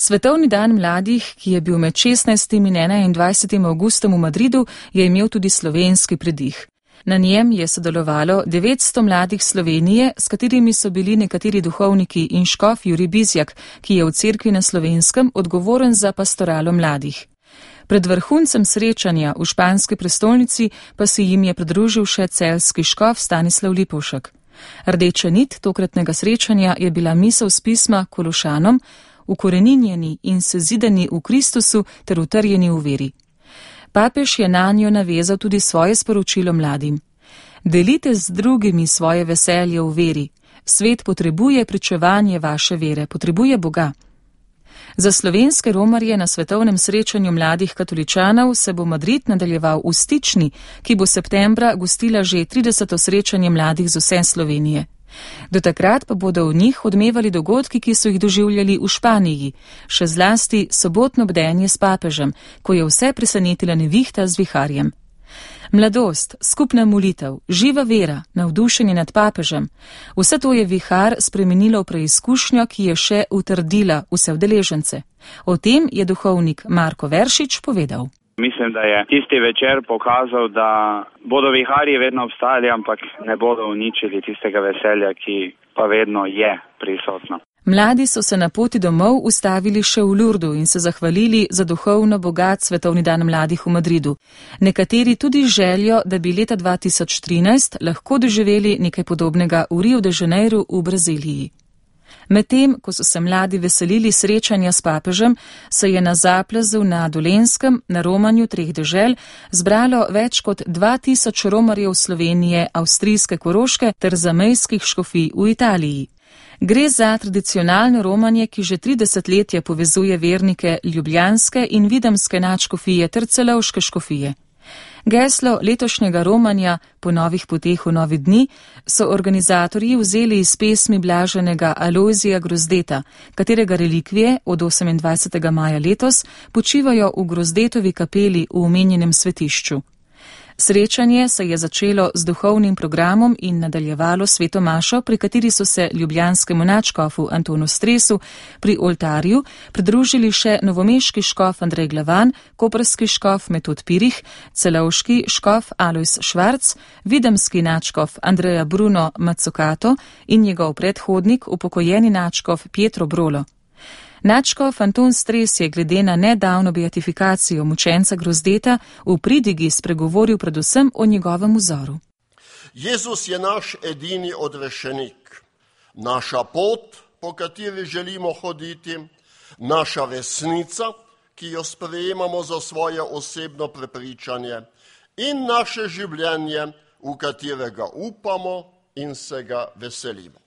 Svetovni dan mladih, ki je bil med 16. in 21. avgustom v Madridu, je imel tudi slovenski predih. Na njem je sodelovalo 900 mladih Slovenije, s katerimi so bili nekateri duhovniki in škof Jurij Bizjak, ki je v cerkvi na Slovenskem odgovoren za pastoralo mladih. Pred vrhuncem srečanja v španski prestolnici pa se jim je pridružil še celjski škof Stanislav Lipovšek. Rdeča nit tokratnega srečanja je bila misel z pisma Kološanom, ukoreninjeni in sezidani v Kristusu ter utrjeni v veri. Papež je nanjo navezal tudi svoje sporočilo mladim. Delite z drugimi svoje veselje v veri. Svet potrebuje pričevanje vaše vere, potrebuje Boga. Za slovenske romarje na svetovnem srečanju mladih katoličanov se bo Madrid nadaljeval v Stični, ki bo septembra gostila že 30. srečanje mladih z vse Slovenije. Do takrat pa bodo v njih odmevali dogodki, ki so jih doživljali v Španiji, še zlasti sobotno bdenje s papežem, ko je vse presenetila nevihta z viharjem. Mladost, skupna molitev, živa vera, navdušenje nad papežem, vse to je vihar spremenilo v preizkušnjo, ki je še utrdila vse udeležence. O tem je duhovnik Marko Veršič povedal. Mislim, da je tisti večer pokazal, da bodo viharji vedno obstajali, ampak ne bodo uničili tistega veselja, ki pa vedno je prisotno. Mladi so se na poti domov ustavili še v Lurdu in se zahvalili za duhovno bogat svetovni dan mladih v Madridu. Nekateri tudi željo, da bi leta 2013 lahko doživeli nekaj podobnega v Rio de Janeiro v Braziliji. Medtem, ko so se mladi veselili srečanja s papežem, se je na Zaplazu na Dolenjskem, na romanju 3 dežel, zbralo več kot 2000 romarjev Slovenije, avstrijske Koroške ter zamejskih škofij v Italiji. Gre za tradicionalno romanje, ki že 30 let povezuje vernike ljubljanske in videmske nadškofije ter celovške škofije. Geslo letošnjega romanja Po novih poteh v novi dni so organizatorji vzeli iz pesmi blaženega Alojzija Grozdeta, katerega relikvije od 28. maja letos počivajo v Grozdetovi kapeli v omenjenem svetišču. Srečanje se je začelo z duhovnim programom in nadaljevalo sveto mašo, pri kateri so se ljubljanskemu nadškofu Antonu Stresu pri oltarju pridružili še novomeški škof Andrej Glavan, koprski škof Metod Pirih, celovški škof Alojz Švarc, videmski nadškof Andreja Bruno Mazzucato in njegov predhodnik, upokojeni nadškof Pietro Brolo. Nadškof Anton Stres je glede na nedavno beatifikacijo mučenca Grozdeta v pridigi spregovoril predvsem o njegovem vzoru. Jezus je naš edini odrešenik, naša pot, po kateri želimo hoditi, naša resnica, ki jo sprejemamo za svoje osebno prepričanje, in naše življenje, v katerega upamo in se ga veselimo.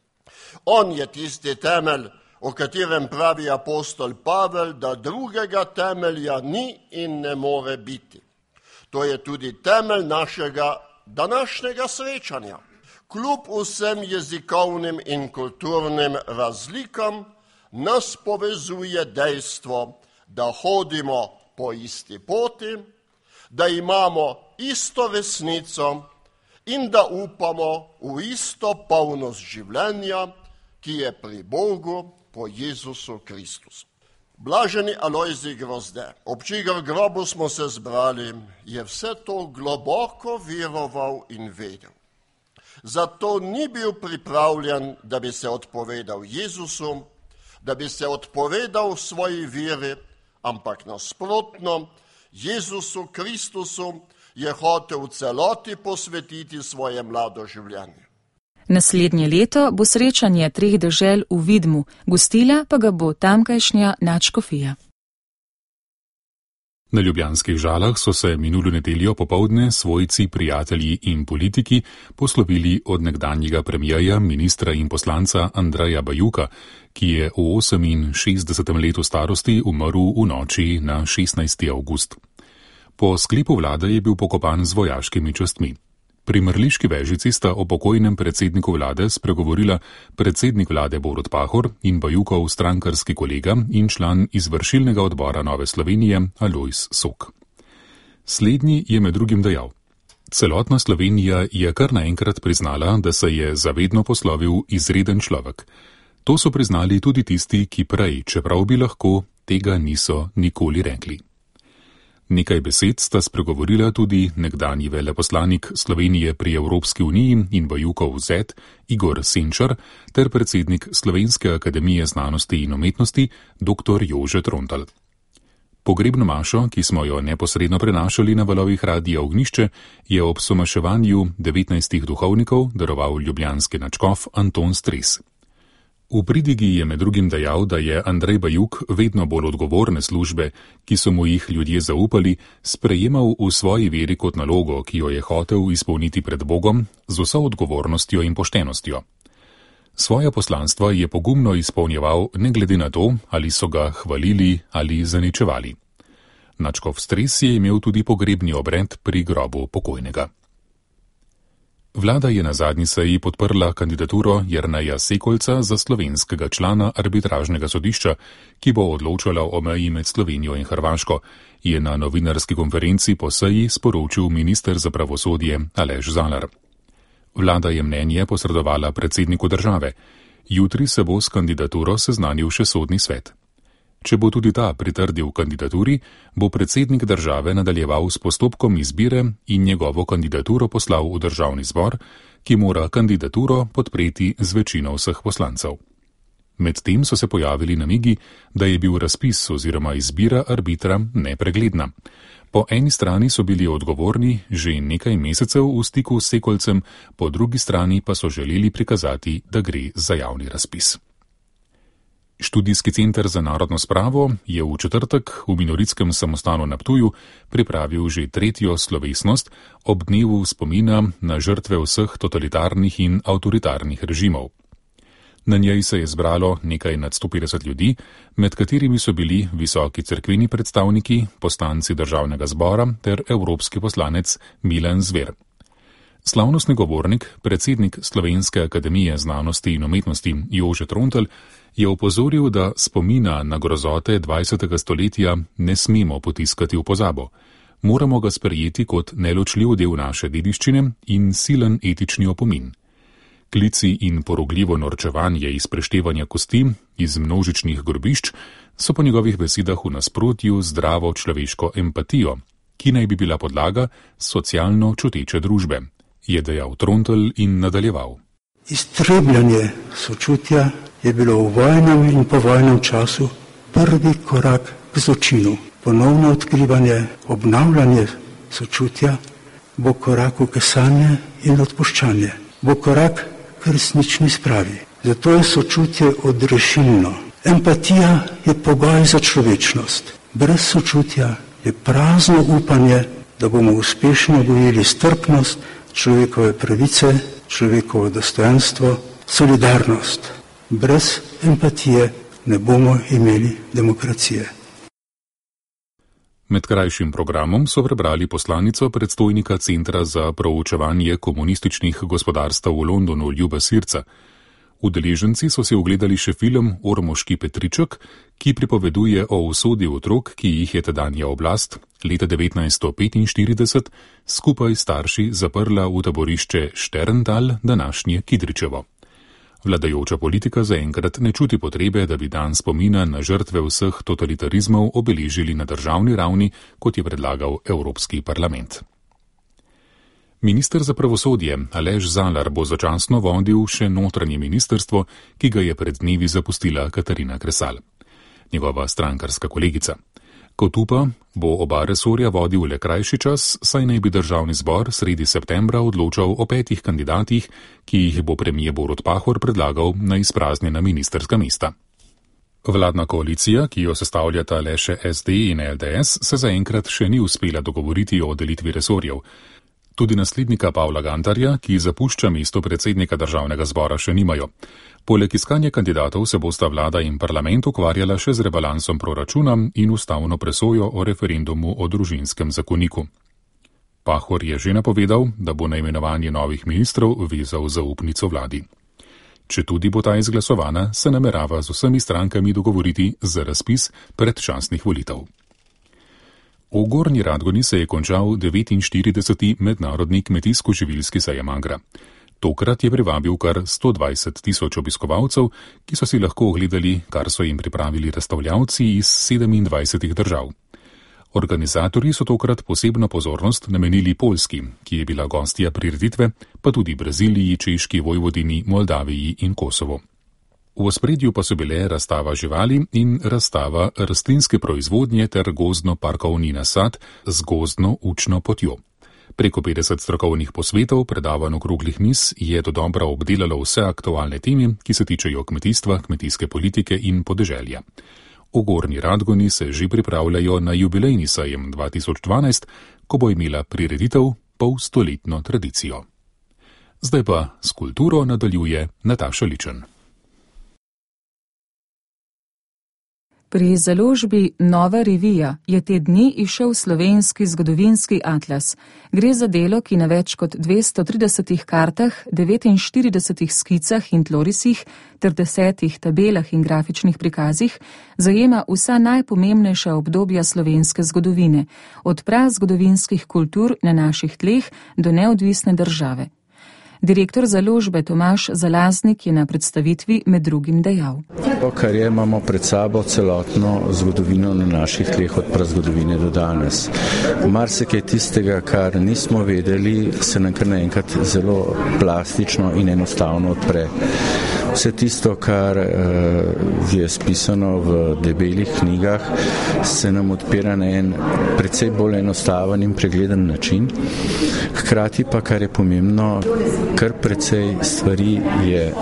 On je tisti temelj, o katerem pravi apostol Pavel, da drugega temelja ni in ne more biti. To je tudi temelj našega današnjega srečanja. Kljub vsem jezikovnim in kulturnim razlikam nas povezuje dejstvo, da hodimo po isti poti, da imamo isto resnico in da upamo v isto polnost življenja, ki je pri Bogu, po Jezusu Kristusu. Blaženi Alojzij Grozde, ob čigar grobu smo se zbrali, je vse to globoko veroval in vedel. Zato ni bil pripravljen, da bi se odpovedal Jezusu, da bi se odpovedal svoji veri, ampak nasprotno, Jezusu Kristusu je hotel v celoti posvetiti svoje mlado življenje. Naslednje leto bo srečanje 3 dežel v Vidmu, gostila pa ga bo tamkajšnja nadškofija. Na ljubljanskih Žalah so se minulo nedeljo popoldne svojci, prijatelji in politiki poslovili od nekdanjega premierja, ministra in poslanca Andreja Bajuka, ki je v 68. letu starosti umrl v noči na 16. avgust. Po sklepu vlade je bil pokopan z vojaškimi častmi. Pri mrliški vežici sta o pokojnem predsedniku vlade spregovorila predsednik vlade Borut Pahor in Bajukov strankarski kolega in član izvršilnega odbora Nove Slovenije Alojz Sok. Slednji je med drugim dejal: celotna Slovenija je kar naenkrat priznala, da se je zavedno poslovil izreden človek. To so priznali tudi tisti, ki prej, čeprav bi lahko, tega niso nikoli rekli. Nekaj besed sta spregovorila tudi nekdanji veleposlanik Slovenije pri Evropski uniji in Bajukov zet Igor Senčar ter predsednik Slovenske akademije znanosti in umetnosti dr. Jože Trontelj. Pogrebno mašo, ki smo jo neposredno prenašali na valovih Radia Ognjišče, je ob somaševanju 19 duhovnikov daroval ljubljanski nadškof Anton Stres. V pridigi je med drugim dejal, da je Andrej Bajuk vedno bolj odgovorne službe, ki so mu jih ljudje zaupali, sprejemal v svoji veri kot nalogo, ki jo je hotel izpolniti pred Bogom z vso odgovornostjo in poštenostjo. Svoja poslanstva je pogumno izpolnjeval ne glede na to, ali so ga hvalili ali zaničevali. Nadškof Stres je imel tudi pogrebni obred pri grobu pokojnega. Vlada je na zadnji seji podprla kandidaturo Jerneja Sekolca za slovenskega člana arbitražnega sodišča, ki bo odločala o meji med Slovenijo in Hrvaško, je na novinarski konferenci po seji sporočil minister za pravosodje Aleš Zalar. Vlada je mnenje posredovala predsedniku države. Jutri se bo s kandidaturo seznanil še sodni svet. Če bo tudi ta pritrdil kandidaturi, bo predsednik države nadaljeval s postopkom izbire in njegovo kandidaturo poslal v državni zbor, ki mora kandidaturo podpreti z večino vseh poslancev. Medtem so se pojavili namigi, da je bil razpis oziroma izbira arbitra nepregledna. Po eni strani so bili odgovorni že nekaj mesecev v stiku s Sekolcem, po drugi strani pa so želeli prikazati, da gre za javni razpis. Študijski center za narodno spravo je v četrtek v Minoritskem samostanu na Ptuju pripravil že tretjo slovesnost ob dnevu spomina na žrtve vseh totalitarnih in avtoritarnih režimov. Na njej se je zbralo nekaj nad 150 ljudi, med katerimi so bili visoki cerkveni predstavniki, poslanci državnega zbora ter evropski poslanec Milan Zver. Slavnostni govornik, predsednik Slovenske akademije znanosti in umetnosti Jože Trontelj, je opozoril, da spomina na grozote 20. stoletja ne smemo potiskati v pozabo. Moramo ga sprejeti kot neločljiv del naše dediščine in silen etični opomin. Klici in porogljivo norčevanje iz preštevanja kosti iz množičnih grobišč so po njegovih besedah v nasprotju z zdravo človeško empatijo, ki naj bi bila podlaga socialno čuteče družbe, je dejal Trontelj in nadaljeval. Iztrebljanje sočutja je bilo v vojnem in povojnem času prvi korak k zločinu. Ponovno odkrivanje, obnavljanje sočutja bo korak v kesanje in odpuščanje. Bo korak k resnični spravi. Zato je sočutje odrešilno. Empatija je pogoj za človečnost. Brez sočutja je prazno upanje, da bomo uspešno gojili strpnost, človekove pravice, človekovo dostojanstvo, solidarnost. Brez empatije ne bomo imeli demokracije. Med krajšim programom so prebrali poslanico predstojnika Centra za proučevanje komunističnih gospodarstev v Londonu Ljuba Sirca. Udeleženci so si ogledali še film Ormoški Petriček, ki pripoveduje o usodi otrok, ki jih je tedanja oblast leta 1945 skupaj s starši zaprla v taborišče Šterntal, današnje Kidričevo. Vladajoča politika zaenkrat ne čuti potrebe, da bi dan spomina na žrtve vseh totalitarizmov obeležili na državni ravni, kot je predlagal Evropski parlament. Minister za pravosodje Aleš Zalar bo začasno vodil še notranje ministrstvo, ki ga je pred dnevi zapustila Katarina Kresal, njegova strankarska kolegica. Kot upa, bo oba resorja vodil le krajši čas, saj naj bi državni zbor sredi septembra odločal o 5 kandidatih, ki jih bo premier Borut Pahor predlagal na izpraznjena ministrska mesta. Vladna koalicija, ki jo sestavljata le še SD in LDS, se zaenkrat še ni uspela dogovoriti o delitvi resorjev. Tudi naslednika Pavla Gantarja, ki zapušča mesto predsednika državnega zbora, še nimajo. Poleg iskanja kandidatov se bosta vlada in parlament ukvarjala še z rebalansom proračuna in ustavno presojo o referendumu o družinskem zakoniku. Pahor je že napovedal, da bo na imenovanje novih ministrov vezal zaupnico vladi. Četudi bo ta izglasovana, se namerava z vsemi strankami dogovoriti za razpis predčasnih volitev. V Gornji Radgoni se je končal 49. mednarodni kmetijsko-živilski sejem Agra. Tokrat je privabil kar 120 tisoč obiskovalcev, ki so si lahko ogledali, kar so jim pripravili razstavljavci iz 27 držav. Organizatorji so tokrat posebno pozornost namenili Poljski, ki je bila gostja prireditve, pa tudi Braziliji, Češki, Vojvodini, Moldaviji in Kosovo. V ospredju pa so bile razstava živali in razstava rastlinske proizvodnje ter gozdno-parkovni nasad z gozdno učno potjo. Preko 50 strokovnih posvetov, predavanj okroglih miz je dodobra obdelalo vse aktualne teme, ki se tičejo kmetijstva, kmetijske politike in podeželja. V Gornji Radgoni se že pripravljajo na jubilejni sejem 2012, ko bo imela prireditev polstoletno tradicijo. Zdaj pa s kulturo nadaljuje Nataša Ličen. Pri založbi Nova revija je te dni izšel slovenski zgodovinski atlas. Gre za delo, ki na več kot 230 kartah, 49 skicah in tlorisih ter 10 tabelah in grafičnih prikazih zajema vsa najpomembnejša obdobja slovenske zgodovine, od prazgodovinskih kultur na naših tleh do neodvisne države. Direktor založbe Tomaž Zalaznik je na predstavitvi med drugim dejal. To, kar je, imamo pred sabo celotno zgodovino na naših tleh od prazgodovine do danes. Marsikaj tistega, kar nismo vedeli, se nam kar naenkrat zelo plastično in enostavno odpre. Vse tisto, kar je spisano v debelih knjigah, se nam odpira na en precej bolj enostaven in pregleden način. Hkrati pa, kar je pomembno, kar precej stvari je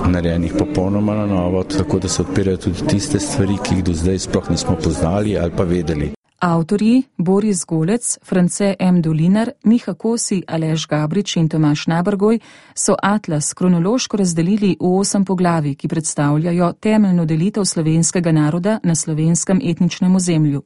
narejenih popolnoma na novo, tako da se odpirajo tudi tiste stvari, ki jih do zdaj sploh nismo poznali ali pa vedeli. Avtorji Boris Golec, France M. Dolinar, Miha Kosi, Aleš Gabrič in Tomaž Nabrgoj so atlas kronološko razdelili v 8 poglavij, ki predstavljajo temeljno delitev slovenskega naroda na slovenskem etničnem ozemlju.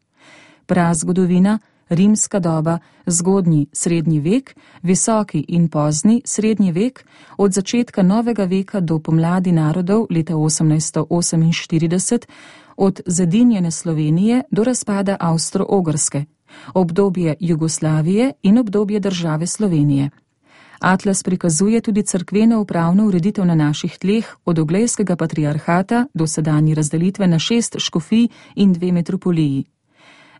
Prazgodovina, rimska doba, zgodnji srednji vek, visoki in pozni srednji vek, od začetka novega veka do pomladi narodov leta 1848, od zedinjene Slovenije do razpada Avstro-Ogrske, obdobje Jugoslavije in obdobje države Slovenije. Atlas prikazuje tudi cerkveno upravno ureditev na naših tleh od Oglejskega patriarhata do sedanji razdelitve na 6 škofij in 2 metropoliji.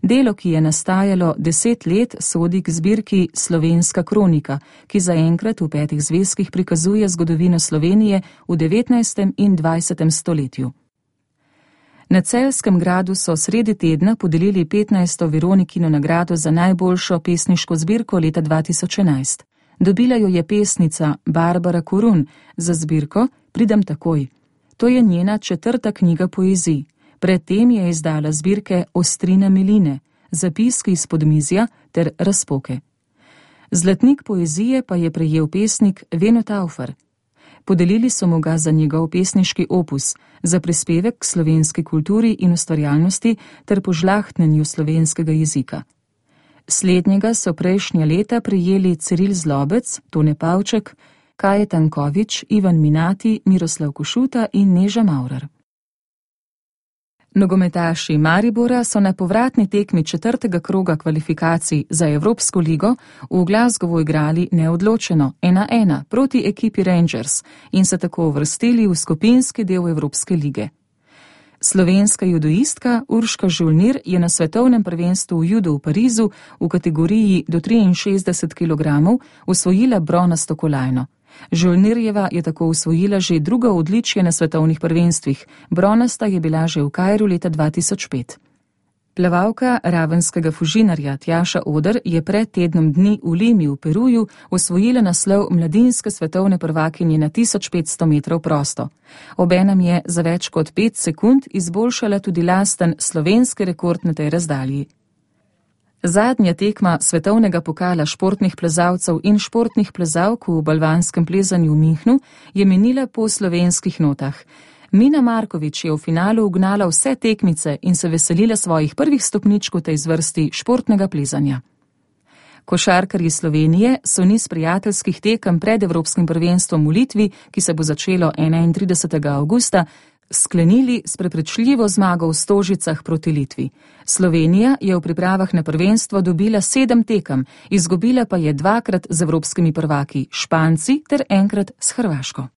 Delo, ki je nastajalo 10 let, sodi k zbirki Slovenska kronika, ki zaenkrat v 5 zvezkih prikazuje zgodovino Slovenije v 19. in 20. stoletju. Na Celjskem gradu so sredi tedna podelili 15. Veronikino nagrado za najboljšo pesniško zbirko leta 2011. Dobila jo je pesnica Barbara Korun za zbirko Pridem takoj. To je njena 4. knjiga poezij. Predtem je izdala zbirke Ostrina miline, Zapiski iz podmizja ter Razpoke. Zlatnik poezije pa je prejel pesnik Veno Taufer. Podelili so mu ga za njegov pesniški opus, za prispevek k slovenski kulturi in ustvarjalnosti ter požlahtnenju slovenskega jezika. Slednjega so prejšnja leta prejeli Ciril Zlobec, Tone Pavček, Kaje Tankovič, Ivan Minati, Miroslav Košuta in Neža Maurer. Nogometaši Maribora so na povratni tekmi 4. kroga kvalifikacij za Evropsko ligo v Glasgowu igrali neodločeno 1-1 proti ekipi Rangers in se tako uvrstili v skupinski del Evropske lige. Slovenska judoistka Urška Žolnir je na svetovnem prvenstvu v judu v Parizu v kategoriji do 63 kg osvojila bronasto kolajno. Žolnirjeva je tako osvojila že drugo odličje na svetovnih prvenstvih, bronasta je bila že v Kairu leta 2005. Plavalka ravenskega Fužinarja Tjaša Oder je pred tednom dni v Limi v Peruju osvojila naslov mladinske svetovne prvakinje na 1500 metrov prosto. Obenem je za več kot 5 sekund izboljšala tudi lasten slovenski rekord na tej razdalji. Zadnja tekma svetovnega pokala športnih plezalcev in športnih plezalk v balvanskem plezanju v Minhnu je minila po slovenskih notah. Mina Markovič je v finalu ugnala vse tekmice in se veselila svojih prvih stopničk v tej zvrsti športnega plezanja. Košarkarji Slovenije so niz prijateljskih tekem pred Evropskim prvenstvom v Litvi, ki se bo začelo 31. avgusta, sklenili s prepričljivo zmago v Stožicah proti Litvi. Slovenija je v pripravah na prvenstvo dobila 7 tekem, izgubila pa je 2-krat z evropskimi prvaki Španci ter enkrat s Hrvaško.